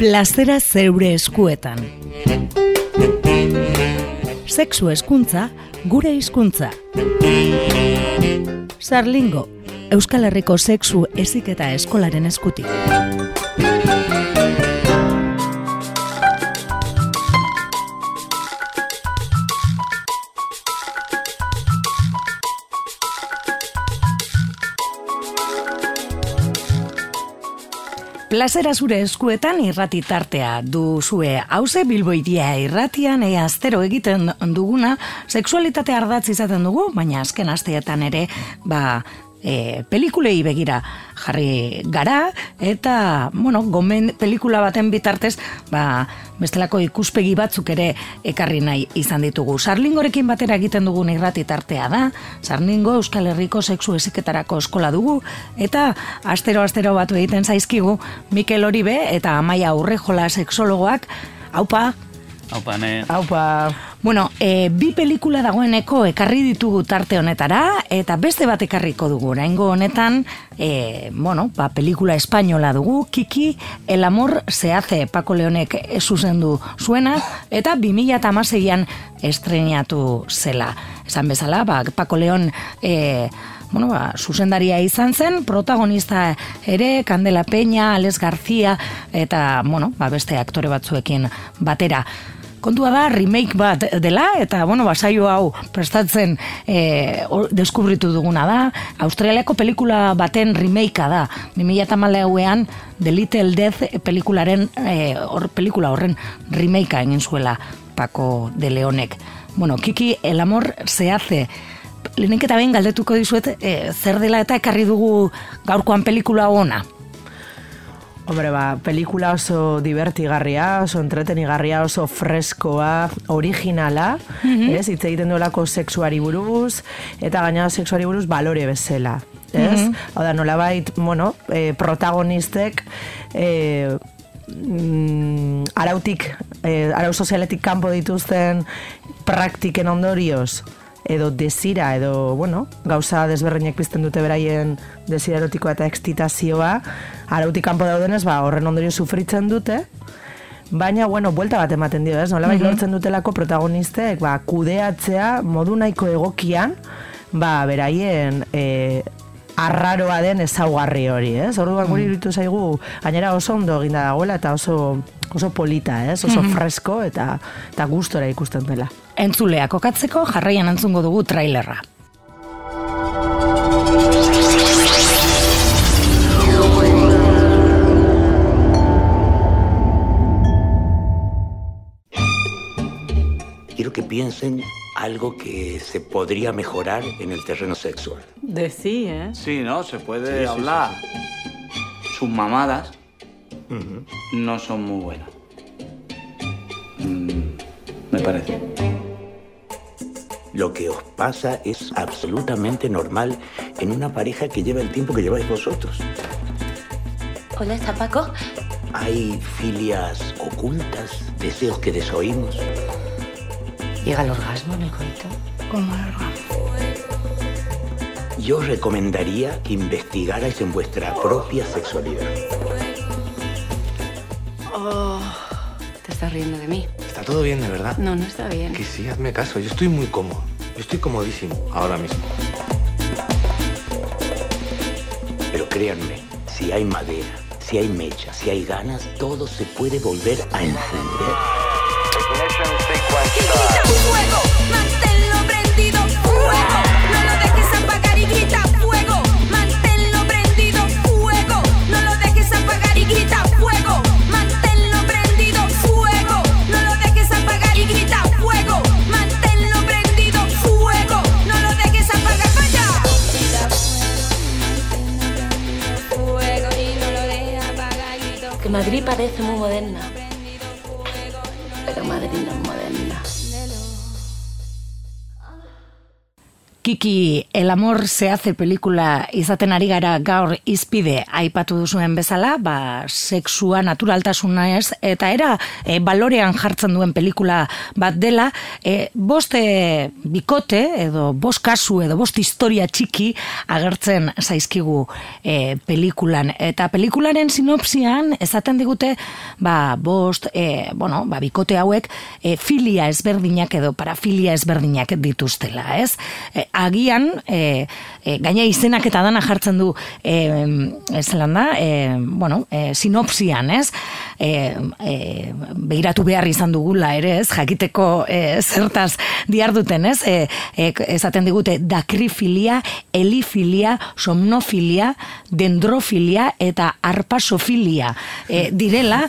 Plazera zeure eskuetan. Sexu hezkuntza, gure hizkuntza. Sarlingo, Euskal Herriko sexu heziketa eskolaren eskutik. Plazera zure eskuetan irrati tartea duzue. Hauze Bilbo Hiria irratian astero egiten duguna sexualitate ardatz izaten dugu, baina azken asteetan ere pelikulei begira jarri gara eta pelikula baten bitartez bestelako ikuspegi batzuk ere ekarri nahi izan ditugu. Sarlingorekin batera egiten dugun irrati tartea da. Sarlingo Euskal Herriko sexu heziketarako eskola dugu eta astero batu egiten zaizkigu Mikel Oribe eta Amaia Urrejola sexologoak. Aupa. Aupa. Bi pelikula dagoeneko ekarri ditugu tarte honetara eta beste bat ekarriko dugu. Oraingo honetan, pelikula espainola dugu, Kiki, El amor se hace, Paco Leonek zuzendu zuena eta 2016an estrenatu zela. Esan bezala, Paco Leon zuzendaria izan zen, protagonista ere, Candela Peña, Alex García eta beste aktore batzuekin batera. Kontua da, remake bat dela, eta, saio hau prestatzen deskubritu duguna da. Australiako pelikula baten remakea da. 2014an The Little Death pelikula horren remakea egin zuela Paco de Leonek. Kiki, El amor se hace. Lehenik eta behin galdetuko dizuet, zer dela eta ekarri dugu gaurkoan pelikula ona? Hombre, pelikula oso divertigarria, oso entretenigarria, oso freskoa, originala, hitz egiten duelako sexuari buruz, eta gainera sexuari buruz balore bezala. Hau da, nolabait, protagonistek arau sozialetik kanpo dituzten praktiken ondorioz, edo desira, edo, gauza desberdinek pizten dute beraien desira erotikoa eta ekstitazioa, arautik kanpo daudenez, horren ondorio sufritzen dute, baina, buelta bat ematen dio, nolabait lortzen dutelako protagonistek, kudeatzea modu nahiko egokian, beraien arraroa den ezaugarri hori, Orduan guri iruditu zaigu, gainera oso ondo eginda dagoela eta oso polita, oso fresko eta gustora ikusten dela. Entzuleak kokatzeko jarraian entzungo dugu trailerra. Quiero que piensen algo que se podría mejorar en el terreno sexual. Sí, Sí, ¿no? Se puede hablar. Sí. Sus mamadas no son muy buenas. Me parece. Lo que os pasa es absolutamente normal en una pareja que lleva el tiempo que lleváis vosotros. Hola, ¿está Paco? Hay filias ocultas, deseos que desoímos. ¿Llega el orgasmo en el coito? ¿Cómo el orgasmo? Yo os recomendaría que investigarais en vuestra propia sexualidad. Te estás riendo de mí. ¿Está todo bien, de verdad? No, no está bien. Que sí, hazme caso. Yo estoy muy cómodo. Yo estoy comodísimo ahora mismo. Pero créanme, si hay madera, si hay mecha, si hay ganas, todo se puede volver a encender. Fuego, manténlo prendido, fuego, no lo dejes apagar y grita fuego, manténlo prendido, fuego, no lo dejes apagar y grita fuego, manténlo prendido, fuego, no lo dejes apagar y grita fuego, manténlo prendido, fuego, no lo dejes apagar, vaya. Fuego y no lo dejes apagar y grita. Que Madrid parece muy moderna, pero Madrid no es moderna. Kiki, El amor se hace pelikula izaten ari gara gaur izpide aipatu duzuen bezala, sexua, naturaltasuna ez, eta era balorean jartzen duen pelikula bat dela, bost bikote, edo bost kasu, edo bost historia txiki agertzen zaizkigu pelikulan. Eta pelikularen sinopsian esaten digute, bost, bikote hauek filia ezberdinak edo parafilia ezberdinak dituztela, ez? Agian, gaina izenak eta dana jartzen du sinopsian, ez? Begiratu behar izan dugula ere, ez? Jakiteko zertaz diarduten, ez? Esaten digute dakrifilia, elifilia, somnofilia, dendrofilia eta arpasofilia direla,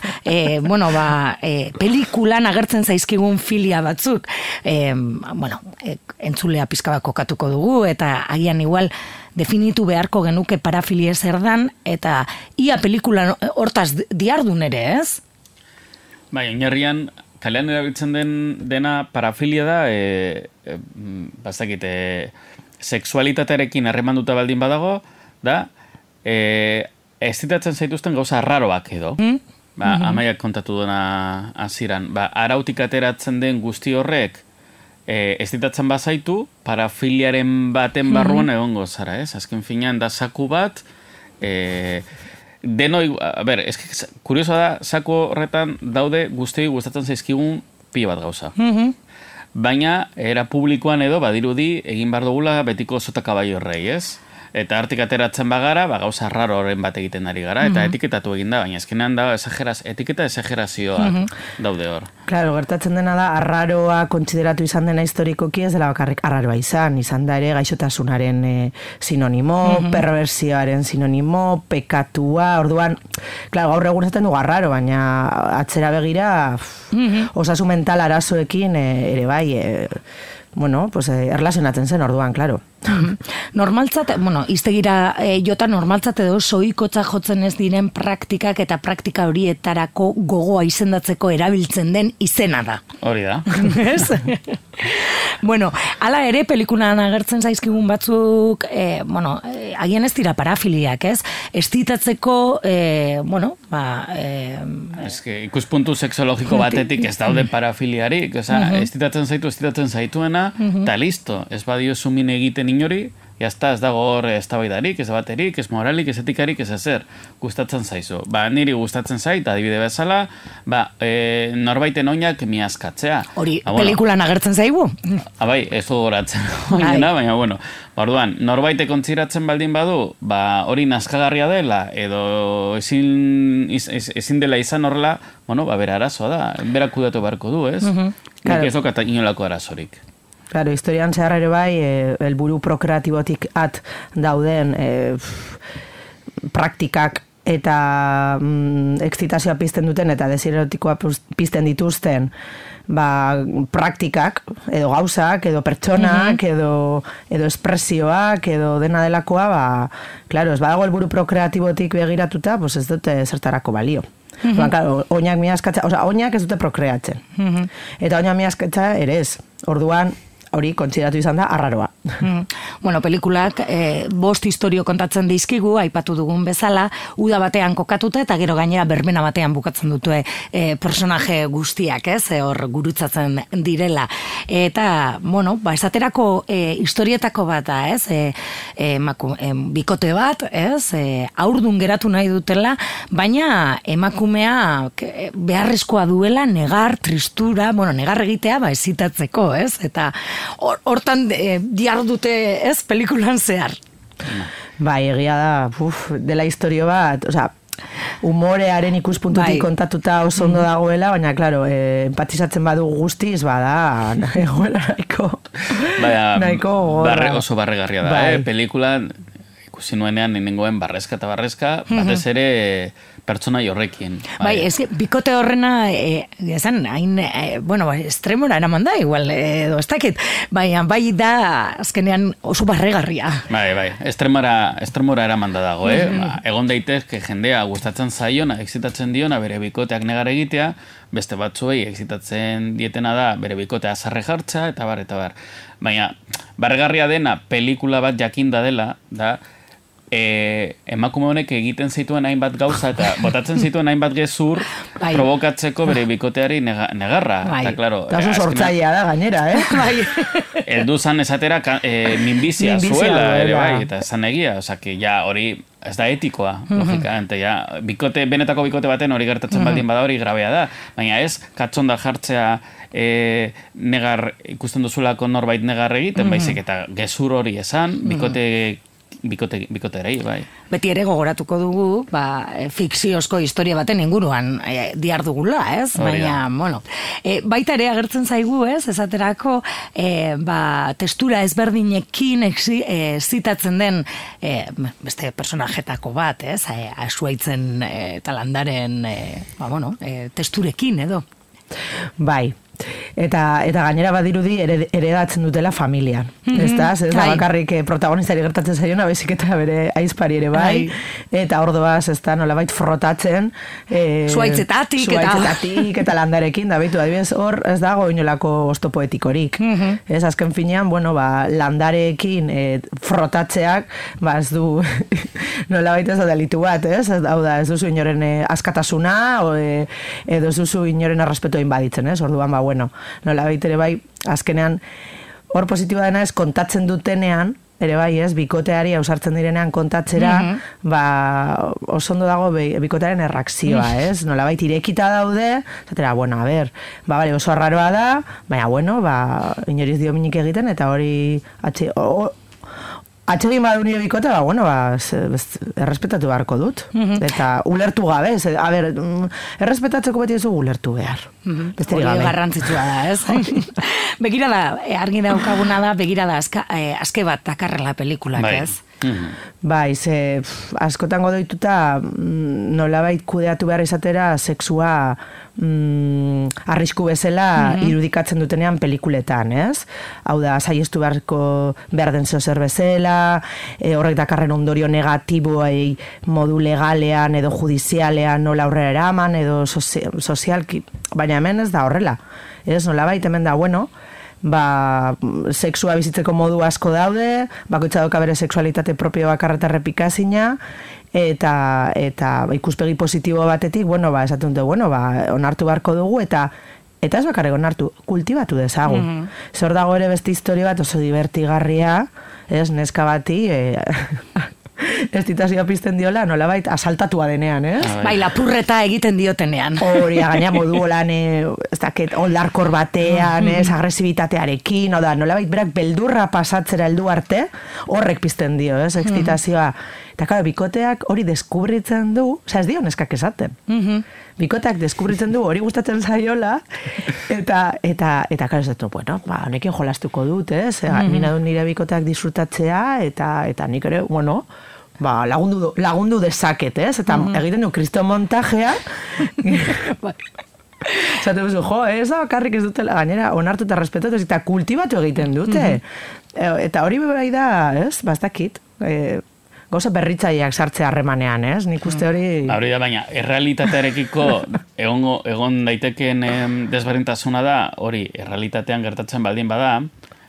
pelikulan agertzen zaizkigun filia batzuk, entzulea pizka bat kokatuko dugu, eta agian igual definitu beharko genuke parafilia zer dan, eta ia pelikula hortaz diardun ere, ez? Bai, oinarrian, kalean erabiltzen dena parafilia da, sexualitatearekin harremanduta baldin badago, da, ezitatzen zaituzten gauza arraroak edo. Amaiak kontatu dena hasieran. Arautik ateratzen den guzti horrek, ezitatzen bazaitu, parafiliaren baten barruan egongo zara, ez? Azken finean da saku bat, kurioso da, saku horretan daude guztioi gustatzen zaizkigun pila bat gauza. Baina, era publikoan edo, badirudi, egin behar dugula betiko sota kabaio horrei, ez? Eta artik ateratzen bagara, gauza raro horren bat egiten ari gara, eta etiketatu egin da, baina ezkenean da etiketa exagerazioak daude hor. Claro, gertatzen dena da, arraroa kontsideratu izan dena historikoki ez dela bakarrik arraroa izan da ere gaixotasunaren sinonimo, perversioaren sinonimo, pekatua, orduan, claro, gaur egun esaten dugu arraro, baina atzera begira, osasun mental arazoekin ere bai, erlazionatzen zen orduan, claro. Normaltzat, iztegira jota normaltzat edo soikotza jotzen ez diren praktikak eta praktika horietarako gogoa izendatzeko erabiltzen den izena da. Hori da. Ez? Hala ere pelikulan agertzen zaizkigun batzuk, agian ez dira parafiliak, ez? Estitatzeko, ikuspuntu sexologiko batetik ez daude parafiliarik, estitatzen zaituena, eta listo, ez badio sumin egiten inori, jazta, ez dago hor eztabaidarik, ez baterik, ez moralik, ez etikarik, ez ezer, gustatzen zaizu. Niri gustatzen zait, adibide bezala, norbaiten oinak miazkatzea. Hori, pelikulan agertzen zaigu? Bai, ez gogoratzen oinena, baina, orduan, norbaitek kontziratzen baldin badu, hori nazkagarria dela, edo ezin dela izan horrela, bera arazoa da, bera kudatu beharko du, ez? Nik ez dokat inolako arazorik. Claro, historian zehar ere bai, helburu prokreatibotik dauden praktikak eta excitazioa pizten duten eta desirerotikoa pizten dituzten praktikak, edo gauzak, edo pertsonak, edo espresioak, edo dena delakoa, claro, ez badago helburu prokreatibotik begiratuta, ez dute zertarako balio. Claro, oinak miazkatza, oinak ez dute prokreatzen. Eta oinak miazkatza ere ez. Orduan, hori kontsideratu izan da arraroa. Pelikulak bost historio kontatzen dizkigu, aipatu dugun bezala, uda batean kokatuta eta gero gainera berbena batean bukatzen dute personaje guztiak, ez? Hor gurutzatzen direla. Eta, esaterako historietako bat da, ez? Bikote bat, ez? Haurdun geratu nahi dutela, baina emakumea beharrezkoa duela negar, tristura, negar egitea ezitatzeko, ez? Eta hortan diardute ez pelikulan zehar. Bai, egia da, dela historio bat, humorearen ikuspuntutik kontatuta oso ondo dagoela, baina, claro, empatizatzen badu guztiz, bada, egoela nahiko oso barregarria da, pelikulan ikusi nuenean nengoen barrezka eta barrezka, batez ere pertsonai horrekin. Bai, bikote horrena, esan, hain, estremora eraman da, igual, edo ez dakit, bai da, azkenean oso barregarria. Bai, estremora eraman da dago, Egon daitezke jendea gustatzen zaiona, excitatzen diona, bere bikoteak negar egitea, beste batzuei excitatzen dietena da, bere bikotea azarre jartza, eta bar. Baina, barregarria dena, pelikula bat jakinda dela, da, emakume honek egiten zituen hainbat gauza eta botatzen zituen hainbat gezur provokatzeko bere bikoteari negarra. Bai. Eta, claro, oso sortzailea da gainera, Bai. Eldu zan esatera minbizia zuela, ere bai, eta zan egia, que ja hori ez da etikoa, logikamente, ja, benetako bikote baten hori gertatzen baldin bada hori grabea da, baina ez, katzonda jartzea negar ikusten duzulako norbait negar egiten, baizik eta gezur hori esan, bikoterei, bai. Beti ere gogoratuko dugu, fikziozko historia baten inguruan diardugula, ez? Baina, baita ere agertzen zaigu, ez? Esaterako, testura ezberdinekin zitatzen den beste personajetako bat, ez? Asuaitzen eta landaren, testurekin, edo? Bai. Eta gainera badirudi heredatzen dutela familian. Ez da bakarrik protagonistari gertatzen zaiona, baizik eta bere aizpari ere bai. Eta ordoaz, ez da, nolabait frotatzen. Zuaitzetatik eta landarekin, da behitu, adibidez, hor ez dago inolako oztopoetikorik. Ez azken finean, landarekin frotatzeak, ez du, nolabait ez da delitu bat, ez? Hau da, ez duzu inoren askatasuna, edo ez duzu inoren arrespetua inbaditzen, ez? Orduan, nola baitere bai, azkenean hor positiboa dena ez kontatzen dutenean, ere bai ez, bikoteari ausartzen direnean kontatzera, oso ondo dago bikotearen erreakzioa, ez? Nola baita irekita daude, zatera, oso arraroa da, baina, inoriz dio minik egiten, eta hori atxegin badu nire bikote, errespetatu beharko dut. Eta ulertu gabe, errespetatzeko beti ez ulertu behar. Hori garrantzitsua da, ez? Begirada, argi daukaguna da, begirada azke bat dakarrela pelikulak, ez? Bai, askotan godoituta nolabait kudeatu behar izatera sexua arrisku bezala irudikatzen dutenean pelikuletan, ez? Hau da, saiestu behar den zer bezala, horrek dakarren ondorio negatiboei modu legalean edo judizialean nola aurrera eraman edo sozialki, baina hemen ez da horrela. Ez, nolabait hemen da, sexua bizitzeko modu asko daude, bakoitza dauka bere sexualitate propio bakarreta errepikazina, eta ikuspegi positibo batetik, esaten dute, onartu beharko dugu, eta ez bakarrik onartu, kultibatu dezagun. Zor dago ere beste historia bat oso divertigarria, ez, neska bati, estitazioa pizten diola, nolabait asaltatua denean, ez? Bai, lapurreta egiten diotenean. Hori, gaina modu holan, ez dakit, oldarkor batean, ez, agresibitatearekin, nolabait berak beldurra pasatzera heldu arte, horrek pizten dio, ez, estitazioa. Eta, claro, bikoteak hori deskubritzen du, ez dio neskak esaten. Bikoteak deskubritzen du hori gustatzen zaiola, eta claro, ez dut, honekin jolastuko dut, ez? Mina du nire bikoteak disfrutatzea, eta nik ere, lagundu dezaket, ez? Eta egiten du kristo montajea, zate duzu, ez da bakarrik ez dutela, gainera, onartu eta respetatu, eta kultibatu egiten dute. Eta hori bai da, ez? Bastakit, gauza berritzaileak sartzea harremanean, ez? Nik uste hori... Hori da, baina, errealitatearekiko egon daitekeen desberdintasuna da, hori, errealitatean gertatzen baldin bada,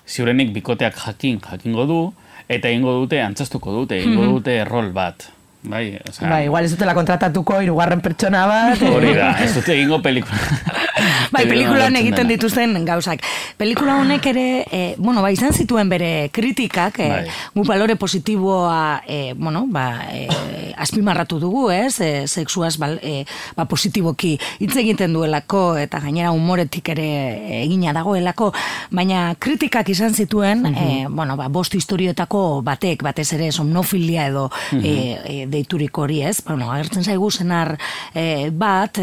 ziurenik bikoteak jakingo du, eta egingo dute, antzestuko dute, egingo dute rol bat. Bai, igual ez dutela kontratatuko hirugarren pertsona bat. Hori da, ez dute egingo pelikula. Bai, pelikulan egiten dituzten gauzak. Pelikula honek ere, izan zituen bere kritikak, gu balore positiboa, azpimarratu dugu, ez? Sexuaz, positiboki hitz egiten duelako, eta gainera humoretik ere egina dagoelako, baina kritikak izan zituen, bost historietako batek, batez ere somnofilia edo deiturik hori, ez? Agertzen zaigu zenar bat,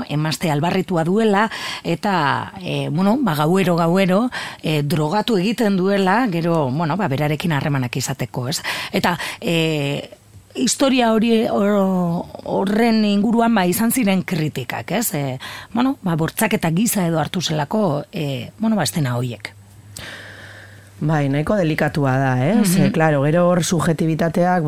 emazte albarritua duela, eta, gauero, drogatu egiten duela, gero, berarekin harremanak izateko, ez? Eta, historia horren inguruan izan ziren kritikak, ez? Bortzaketa giza edo hartu zelako, estena horiek. Bai, nahiko delikatua da, Claro, gero hor subjetibitateak,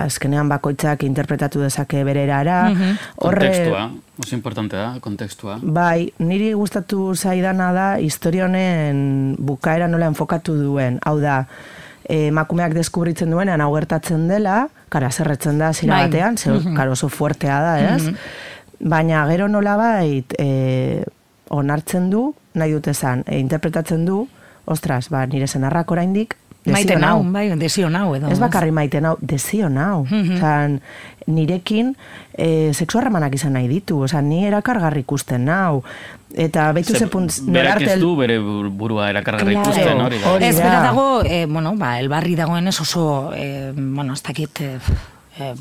azkenean bakoitzak interpretatu dezake bere erara. Kontekstua, oso importante da, kontekstua. Bai, niri gustatu zaidana da, historia honen bukaera nola enfokatu duen. Hau da, emakumeak deskubritzen duenean hau gertatzen dela, kara zerretzen da zira batean, oso fuertea da, ez? Baina gero nola onartzen du, nahi dut esan, interpretatzen du, ostras, nire senarrak oraindik desio nau. Desio nau edo. Ez bakarri maite nau, desio nau. Nirekin sexu harremanak izan nahi ditu, ni erakargarri ikusten nau. Eta behitu zepuntz... Berak ez du bere burua erakargarri ikusten, hori da. Ez, bera dago, elbarri dagoen ez oso, ez dakit...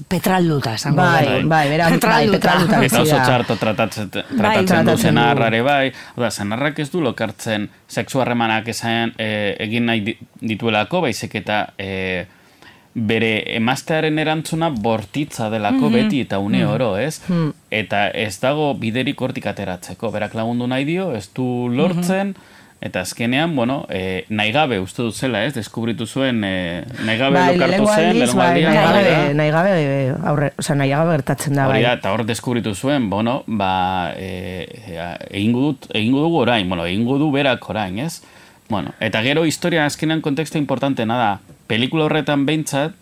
petralduta, esango petralduta. Eta oso txarto tratatzen du senarrare senarrak ez du lokartzen sexu harremanak egin nahi dituelako, baizik eta bere emaztearen erantzuna bortitza delako beti eta une oro, ez? Eta ez dago biderik hortik ateratzeko, berak lagundu nahi dio, ez du lortzen, eta azkenean, nahi gabe uste dut zela, ez? Deskubritu zuen, nahi gabe lokartu zen, nahi gabe gertatzen da, bai. Eta hor deskubritu zuen, egingo dugu orain, egingo du berak orain, ez? Eta gero historia azkenean kontekstu importantena da, pelikula horretan behintzat,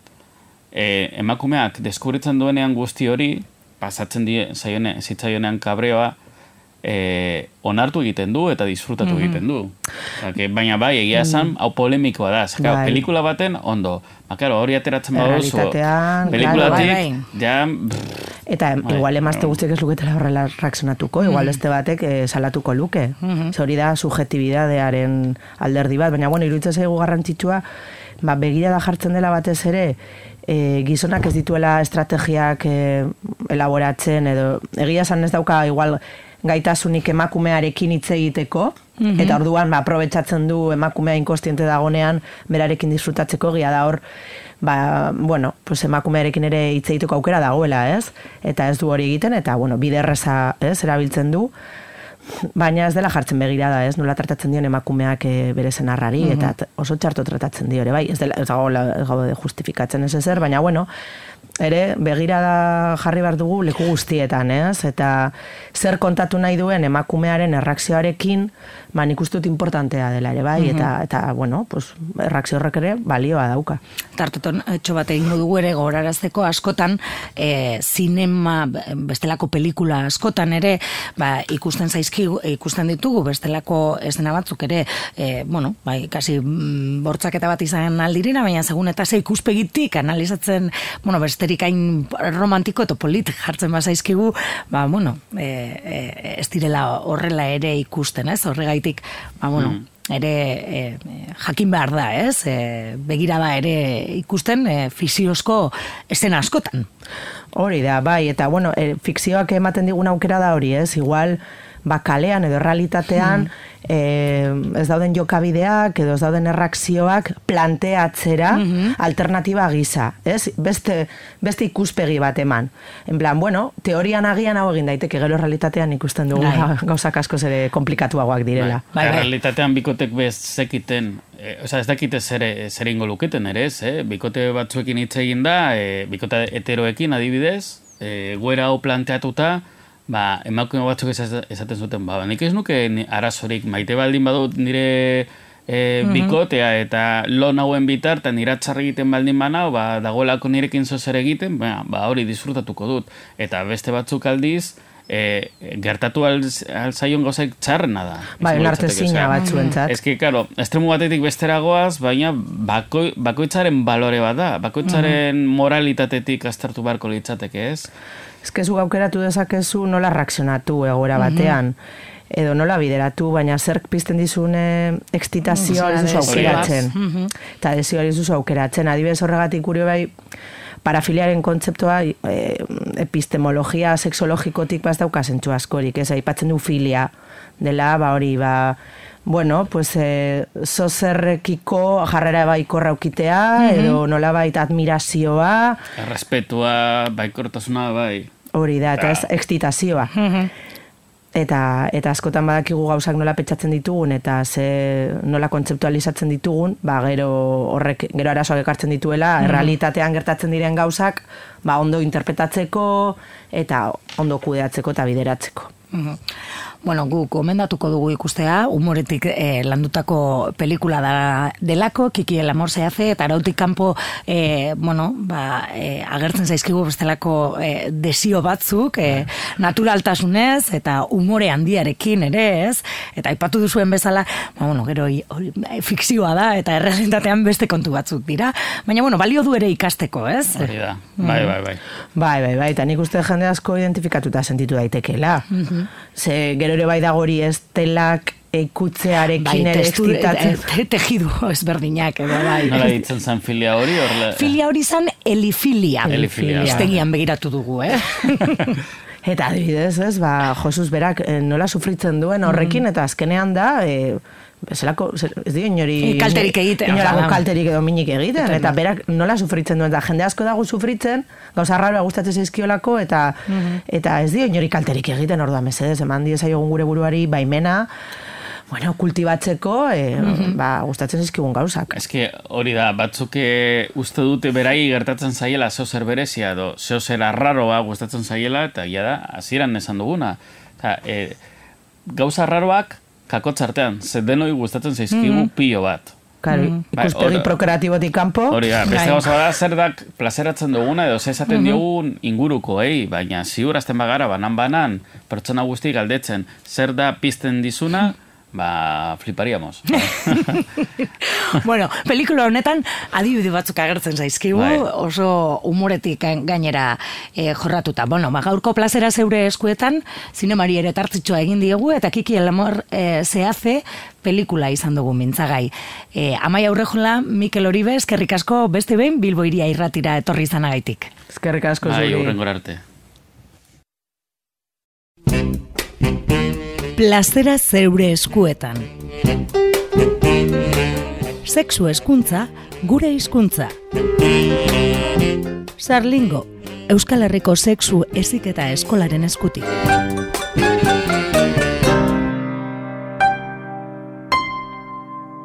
emakumeak deskubritzen duenean guzti hori, pasatzen zitzaionean kabreoa, onartu egiten du eta disfrutatu egiten du. Baina egia esan, hau polemikoa da. Pelikula baten, ondo. Hori ateratzen baduzu. Pelikulatik, ja... Eta igual emazte guztiek ez luketela horrela reakzionatuko, igual beste batek salatuko luke. Hori da subjetibidadearen alderdi bat, baina iruditzen zaigu garrantzitsua, begirada jartzen dela batez ere, gizonak ez dituela estrategiak elaboratzen, edo egia esan ez dauka igual gaitasunik emakumearekin hitz egiteko, eta orduan aprobetxatzen du emakumea inkostiente dagonean berarekin disfrutatzeko, egia da hor, emakumearekin ere hitz egiteko aukera dagoela, ez? Eta ez du hori egiten, eta biderreza erabiltzen du, baina ez dela jartzen begirada, ez? Nola tratatzen dion emakumeak bere senarrari, eta oso txarto tratatzen dio ere, bai? Ez gaude justifikatzen ez ezer, baina ere begirada jarri behar dugu leku guztietan, ez? Eta zer kontatu nahi duen emakumearen erreakzioarekin, nik uste dut importantea dela ere, bai? Eta erreakzio horrek ere balioa dauka. Tartoton, etxo bat egingo dugu ere gorarazteko askotan, zinema, bestelako pelikula askotan ere, ikusten ditugu, bestelako estena batzuk ere, kasi bortzaketa bat izan aldirena, baina segun eta ze ikuspegitik analizatzen, besterik hain romantiko eta polit jartzen bazaizkigu, ez direla horrela ere ikusten, ez? Horregaitik, ere jakin behar da, ez? Begirada ere ikusten fikziozko estena askotan. Hori da, bai, eta fikzioak ematen digun aukera da hori, ez? Igual, kalean edo realitatean ez dauden jokabideak edo ez dauden erreakzioak planteatzera alternatiba gisa, ez? Beste ikuspegi bat eman. En plan, teorian agian hau egin daiteke, gero realitatean ikusten dugu gauzak asko ere komplikatuagoak direla. Realitatean bikotek zekiten, ez dakite zer ingo luketen ere, ez? Bikote batzuekin hitz egin da, bikote heteroekin adibidez, goera hau planteatuta, emakume batzuk esaten zuten, nik ez nuke arazorik maite baldin badut nire bikotea eta lo nauen bitartan iratzar egiten baldin banau, dagoelako nirekin zozer egiten, hori disfrutatuko dut. Eta beste batzuk aldiz, gertatu alzaion gauzaik txarrena da. Onartezina batzuentzat. Ez ki, karo, estremu batetik besteragoaz, baina bakoitzaren balore bat da, bakoitzaren moralitatetik aztertu beharko litzateke, ez? Ez que zu aukeratu dezakezu nola reakzionatu egoera batean, edo nola bideratu, baina zerk pizten dizune ekstitazioa ez duzu aukeratzen. Eta desioa ez duzu aukeratzen. Adibidez horregatik kurio bai, parafiliaren kontzeptua epistemologia sexologikotik dauka zentzu askorik, ez aipatzen du filia dela, bueno, pues zozerrekiko jarrera baikorra ukitea, edo nolabait admirazioa. Errespetua, baikortasuna, bai. Hori da, eta excitazioa. Eta askotan badakigu gauzak nola petxatzen ditugun, eta nola kontzeptualizatzen ditugun, gero horrek, gero arazoak ekartzen dituela, errealitatean gertatzen diren gauzak, ondo interpretatzeko, eta ondo kudeatzeko eta bideratzeko. Bueno, guk gomendatuko dugu ikustea, humoretik landutako pelikula delako, Kiki el amor se hace, eta arautik kanpo, agertzen zaizkigu bestelako desio batzuk, naturaltasunez, eta humore handiarekin ere, ez? Eta aipatu duzuen bezala, gero fikzioa da, eta errealitatean beste kontu batzuk dira, baina, balio du ere ikasteko, ez? Hori da, bai. Bai, eta nik uste jende asko identifikatuta sentitu daitekela. Ze gero ere bai dago hori estelak ikutzearekin ere excitatzen. Tejidu ezberdinak edo bai. Nola ditzen zen filia hori? Filia hori zen elifilia. Iztegian begiratu dugu, Eta adibidez, ez, Josuz berak nola sufritzen duen horrekin, eta azkenean da, bezalako, ez dio inori... Kalterik egiten. Inolako kalterik edo minik egiten, eta berak nola sufritzen duen, eta jende asko dago sufritzen, gauza arraroa gustatzen zaizkiolako, eta ez dio inori kalterik egiten, orduan mesedez, eman diezaiogun gure buruari baimena, kultibatzeko, gustatzen zaizkigun gauzak. Eske hori da, batzuk uste dute berai gertatzen zaiela zeozer berezia, edo zeozer arraroa gustatzen zaiela, eta ja da, hasieran esan duguna. Gauza arraroak kakotzartean, denoi gustatzen zaizkigu pilo bat. Ikuspegi prokreatibotik kanpo. Hori da, beste gauza da, zer da plazeratzen duguna, edo esaten diogun inguruko, baina ziurazten bagara, banan, pertsona guzti galdetzen, zer da pizten dizuna, fliparíamos. Bueno, pelikula honetan adibide batzuk agertzen zaizkigu, oso humoretik gainera jorratuta. Gaurko plazera zeure eskuetan, zinemari ere tartzitxoa egin diegu, eta Kiki el amor se hace pelikula izan dugu mintzagai. Amaia Urrejola, Mikel Oribe, eskerrik asko beste behin Bilbo Hiria Irratira etorri izanagaitik. Eskerrik asko zuri. Hurrengora arte. Plazera zeure eskuetan. Sexu hezkuntza, gure hizkuntza. Sarlingo, Euskal Herriko sexu heziketa eskolaren eskutik.